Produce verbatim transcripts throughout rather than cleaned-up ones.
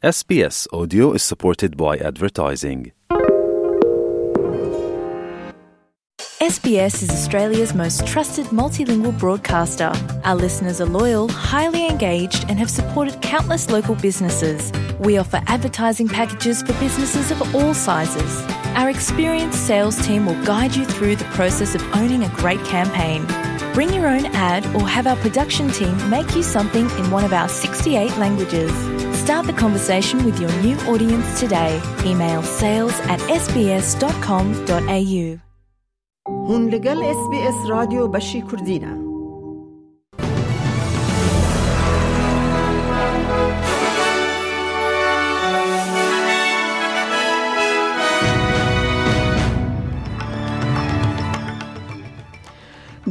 S B S Audio is supported by advertising. S B S is Australia's most trusted multilingual broadcaster. Our listeners are loyal, highly engaged, and have supported countless local businesses. We offer advertising packages for businesses of all sizes. Our experienced sales team will guide you through the process of owning a great campaign. Bring your own ad or have our production team make you something in one of our sixty-eight languages. Start the conversation with your new audience today. Email sales at S B S dot com dot A U. Hûn li gel S B S Radyo Beşî Kurdî ne.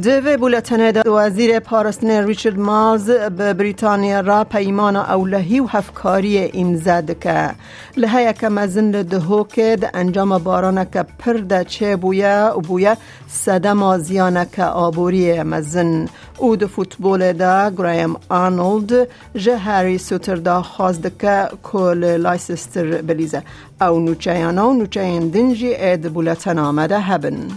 Di vê bûletenê de Wezîrê Parastinê Richard Marles bi Brîtanya re peymana ewlehî û hevkariyê îmze dike. Liheyeke mezin li Duhokê di encama baraneke pir de çêbûye û bûye sedema ziyaneke aboriyê mezin. Û di futbolê de Graham Arnold ji Harry Souttar daxwaz dike ku li Leicester bilîze. Ew nûçeyana û nûçeyên din jî ê di bûletena me de hebin.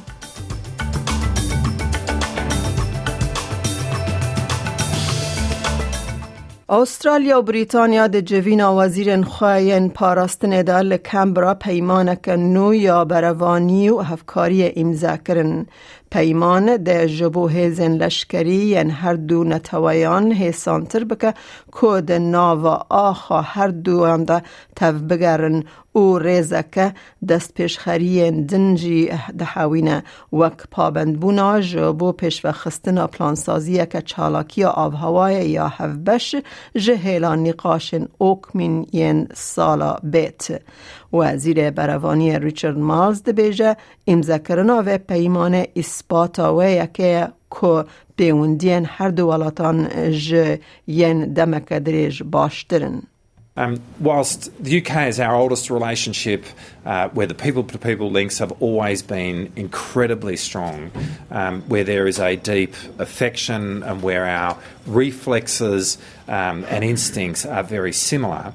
Australya û Brîtanya di civîna wezîrên xwe yên parastinê de li Canberra peymaneke nû ya berevanî û hevkariyê îmze kirin. Peyman dê ji bo hêzên leşkerî yên her du neteweyan hêsantir bike ku di nava axa her duyan de tevbigerin û rêzeke destpêşxeriyên din jî dihewîne, wek pabendbûna ji bo pêşvexistina plansaziyeke çalakiya avhewayê ya hevbeş ji hêla nîqaşên okmîn yên sala bêt. Wezîrê Berevaniyê Richard Marles dibêje, îmzekirina vê peymanê îspata wê yekê ye ku pêwendiyên her du welatan ji yên demeke dirêj baştir in. Um, whilst the U K is our oldest relationship, uh, where the people-to-people links have always been incredibly strong, um, where there is a deep affection and where our reflexes, um, and instincts are very similar,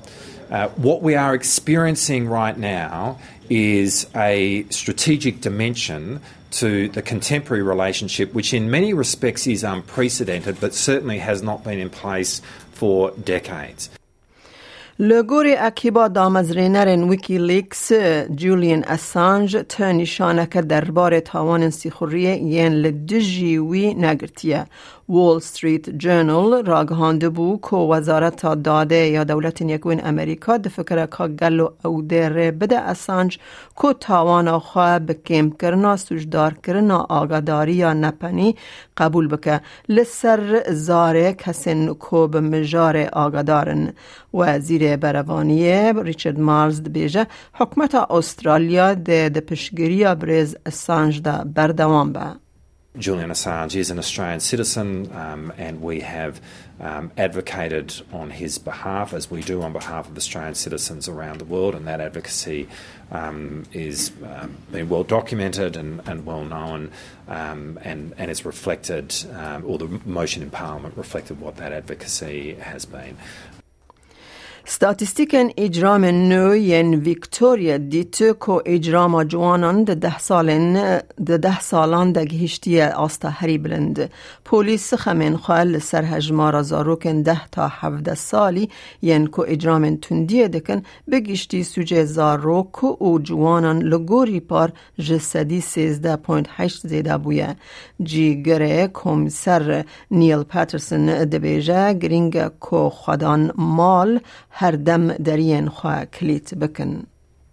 uh, what we are experiencing right now is a strategic dimension to the contemporary relationship, which in many respects is unprecedented, but certainly has not been in place for decades. Li gorî ekiba damezrênerên Wikileaks, Julian Assange ti nîşaneke derbarê tawanên sîxuriyê yên li dijî wî negirtiye. Wall Street Journal ragihandibû ku Wezareta Dadê ya Dewletên Yekbûyî Amerîka difikire ka gelo ew dê rê bide Assange ku tawana xwe bi kêmkirina sûcdarkirina agadariya nepenî qebûl bike li ser zarê kesên ku bi mijarê agadar in. Wezîrê Berevaniyê Richard Marles dibêje, hikûmeta Australya dê di piştgiriya birêz Assange de berdewam be. Julian Assange is an Australian citizen, um, and we have, um, advocated on his behalf, as we do on behalf of Australian citizens around the world, and that advocacy, um, is, um, been well documented and, and well known, um, and, and is reflected, um, or the motion in Parliament reflected what that advocacy has been. Statîstîkên îcramên nû yên Victoria dît ku îcrama ciwanan di deh salên, di deh salan de gihiştiye asta herî bilind. Polîs xemên xwe li ser hejmara zarokên deh ta hevdeh salî yên ku îcramên tundiyê dikin, bi giştî sûcê zarok û ciwanan li gorî par ji sedî sêzdeh point heşt zêde bûye. Cîgirê Komîser Neil Patterson dibêje, girîng e ku xwedan mal her dem deriyên xwe kilît bikin.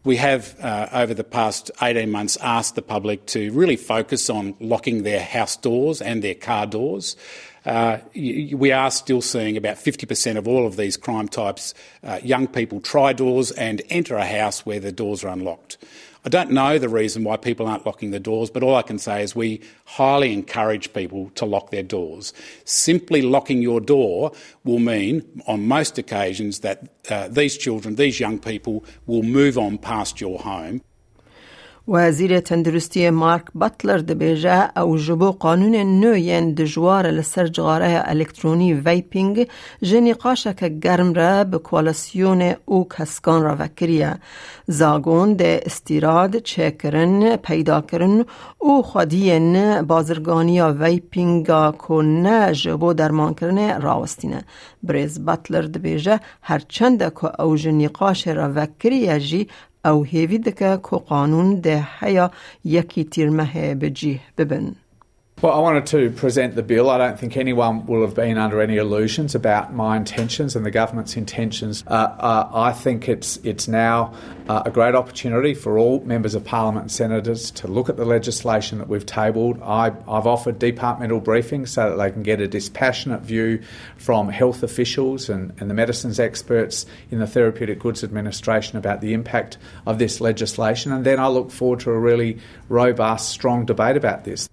We have, uh, over the past eighteen months, asked the public to really focus on locking their house doors and their car doors. Uh, y-, y-, we are still seeing about fifty percent of all of these crime types, uh, young people try doors and enter a house where the doors are unlocked. I don't know the reason why people aren't locking the doors, but all I can say is we highly encourage people to lock their doors. Simply locking your door will mean, on most occasions, that, uh, these children, these young people, will move on past your home. Wezîrê Tenduristiyê Mark Butler dibêje, ew ji bo qanûnên nû yên dijwar li ser cixareya elektronî vaping ji nîqaşeke germ re bi koalîsyonê û keskan re vekiriye. Zagon dê îstîrad, çêkirin, peydakirin û xwediyên bazirganiya vapinga ku ne ji bo dermankirinê rawestîne. Birêz Butler dibêje, her çende ku ew ji nîqaşê re vekiriye jî, ew hêvî dike ku qanûn dê heya yekî tîrmehê bi cih bibin. Well, I wanted to present the bill. I don't think anyone will have been under any illusions about my intentions and the government's intentions. Uh, uh, I think it's it's now uh, a great opportunity for all members of parliament and senators to look at the legislation that we've tabled. I, I've offered departmental briefings so that they can get a dispassionate view from health officials and, and the medicines experts in the Therapeutic Goods Administration about the impact of this legislation, and then I look forward to a really robust, strong debate about this.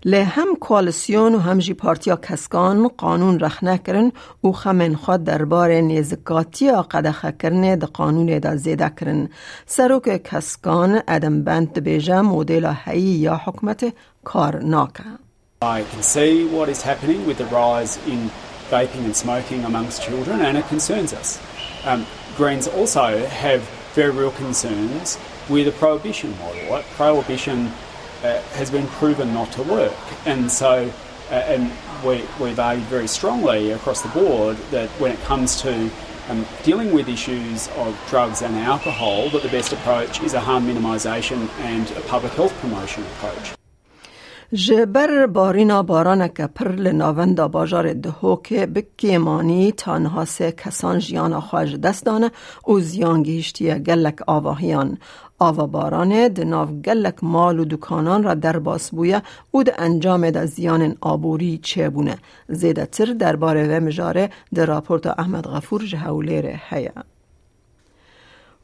Lê hem koalîsyon û hem jî Partiya Keskan qanûn rexne kirin û xemên xwe derbarê nêzikatiya qedexekirinê di qanûnê de zêde kirin. Serokê Keskan Adam Bent dibêje modela heyî ya hikûmetê kar nake. I can see what is happening with the rise in vaping and smoking amongst children, and it concerns us. Um, Greens also have very real concerns with a prohibition model. Like, prohibition uh, has been proven not to work, and so uh, and we, we've argued very strongly across the board that when it comes to um, dealing with issues of drugs and alcohol, that the best approach is a harm minimisation and a public health promotion approach. Ji ber barîna baraneke pir li navenda bajarê Dihokê bi kêmanî ta niha sê kesan jiyana xwe ji dest dane û ziyan gihîştiye gelek avahiyan. Ava baranê di nav gelek mal û dukanan re derbas bûye û di encamê de ziyanên aborî çêbûne. Zêdetir derbarê vê mijarê di raporta Ehmed Xefûr ji Hewlêrê heye.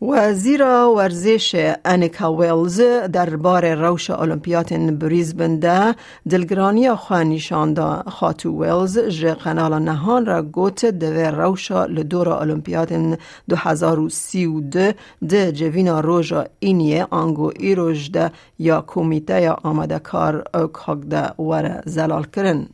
Wezîra Werzêşê Anika Wells derbarê rewşa Olimpiyatên Brisbane de dilgiraniya xwe nîşan da. Xatû Wells ji Qenala Nehan re got, divê rewşa li dora Olimpiyatên du hezar û sî û du di civîna roja Îniyê ango îroj de ya Komîteya Amadekar OCOG de were zelalkirin.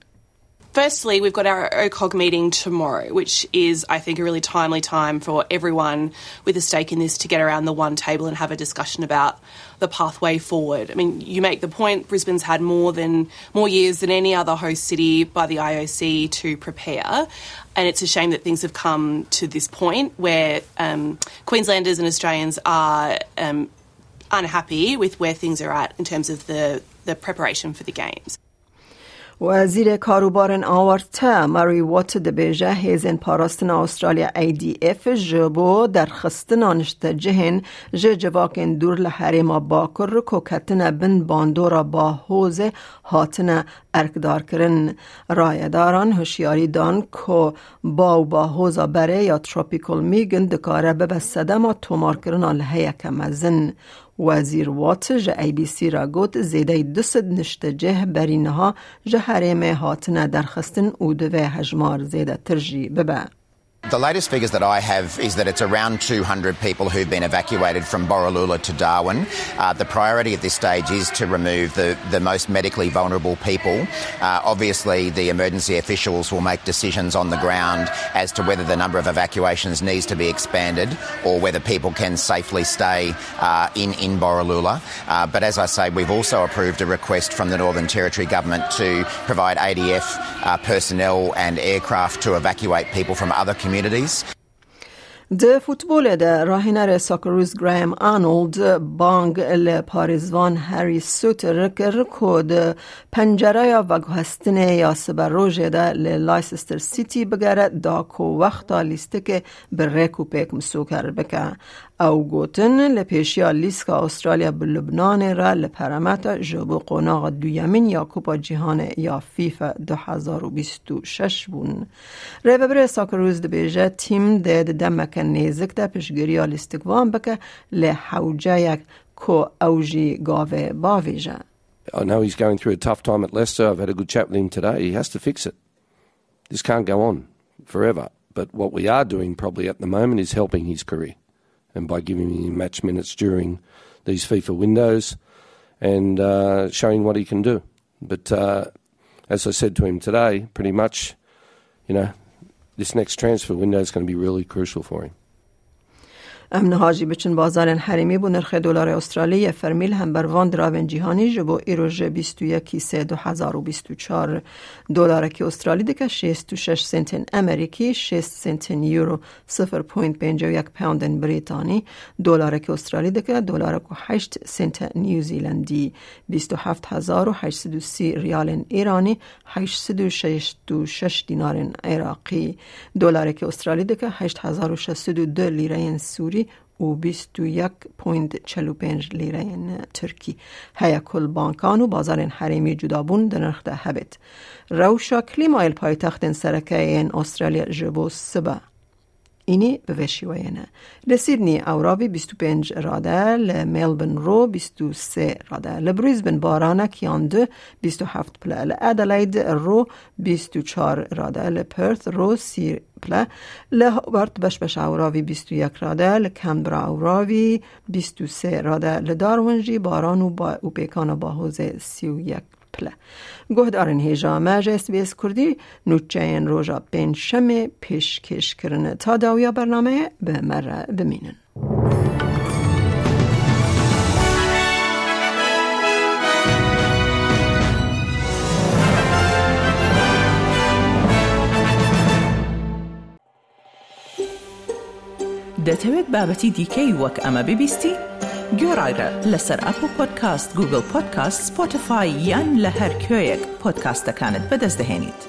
Firstly, we've got our OCOG meeting tomorrow, which is, I think, a really timely time for everyone with a stake in this to get around the one table and have a discussion about the pathway forward. I mean, you make the point, Brisbane's had more than, more years than any other host city by the I O C to prepare, and it's a shame that things have come to this point where, um, Queenslanders and Australians are, um, unhappy with where things are at in terms of the, the preparation for the games. Wezîrê Karûbarên Awarte Murray Watt dibêje, hêzên parastina Australya A D F ji bo derxistina niştecihên ji civakên dûr li herêma Bakur ku ketine bin bandora Bahozê hatine erkdarkirin. Rayedaran hişyarî dan ku ba û bahoza berê ya Tropical Megan dikare bibe sedema tomarkirina liheyeke mezin. Wezîr Watt ji A B C re got, zêdeyî du sed niştecih berî niha ji herêmê hatine derxistin û divê hejmar zêdetir jî bibe. The latest figures that I have is that it's around two hundred people who've been evacuated from Borroloola to Darwin. Uh, the priority at this stage is to remove the, the most medically vulnerable people. Uh, obviously, the emergency officials will make decisions on the ground as to whether the number of evacuations needs to be expanded or whether people can safely stay uh, in, in Borroloola. Uh, but as I say, we've also approved a request from the Northern Territory Government to provide A D F uh, personnel and aircraft to evacuate people from other communities. Di futbolê de rahînerê Socceroos Graham Arnold bang li parêzvan Harry Souttar kir ku di pencereya veguhestinê ya siberojê de li Leicester City bigere da ku wexta lîstikê bi rêk û pêk misoger bike. Ew gotin, li pêşiya lîska Australya bi Lubnanê re li peremete ji bo qonaxa duyemîn ya Kupa Cîhanê ya FIFA du hezar û bîst û şeş bûn. Rêvebirê Socceroos dibêje, tîm dê di demeke nêzik de piştgiriya lîstikvan bike, lê hewceyek ku ew jî gavê bavêje. I know he's going through a tough time at Leicester. I've had a good chat with him today. He has to fix it. This can't go on forever. But what we are doing probably at the moment is helping his career. And by giving him match minutes during these FIFA windows and uh, showing what he can do. But uh, as I said to him today, pretty much, you know, this next transfer window is going to be really crucial for him. Em niha jî biçin bazarên herêmî bo nirxê dolarê Australî yê fermî li hember van diravên cîhanî ji bo îro ji bîst û yekî sê du hezar û bîst û çar dolarekî Australî dike şêst û şeş sentên Amerîkî, şêst sentên Euro, sifir point pêncî û yek poundên Brîtanî, dolarekî Australî dike dolarek û heşt sente New Zealandî, bîst û heft hezar û heşt sed û sî riyalên Îranî, heşt sed û şeşt û şeş dînarên Iraqî. Dolarekî Australî dike heşt hezar û şeş sed û du lîreyên Sûrî û bîst û yek point çil û pênc lîreyên Tirkî. Heye ku li bankan û bazarên herêmî cudabûn di nirx de hebêt. Rewşa klîmayê li paytextên sereke yên Australya ji bo sibe înî bi vê şîweyê ne. Li Sydney ewravî bîst û pênc rade, li Melbourne ro bîst û sê rade, li Brisbane baranek yan du bîst û heft pile, li Adelaide ro bîst û çar rade, li Perth ro sî pile, li Hobart beş beş ewravî bîst û yek rade, li Canberra ewravî bîst û sê rade, li Darwin jî baran û ba-, û pêkana bahozê sî û yek pile. Guhdarên hêja me ji S B S Kurdî nûçeyên roja pêncşemê pêşkêş kirin. Ta dawiya bernameyê bi me re bimînin. دەتەوێت بابەتی دیکەی وەک ئەمە ببیستی؟ گوێڕایرە لەسەر ئەپڵ پۆدکاست، گوگڵ پۆدکاست، سپۆتیفای یان لە هەر کوێیەک پۆدکاستەکانت بەدەست دەهێنیت.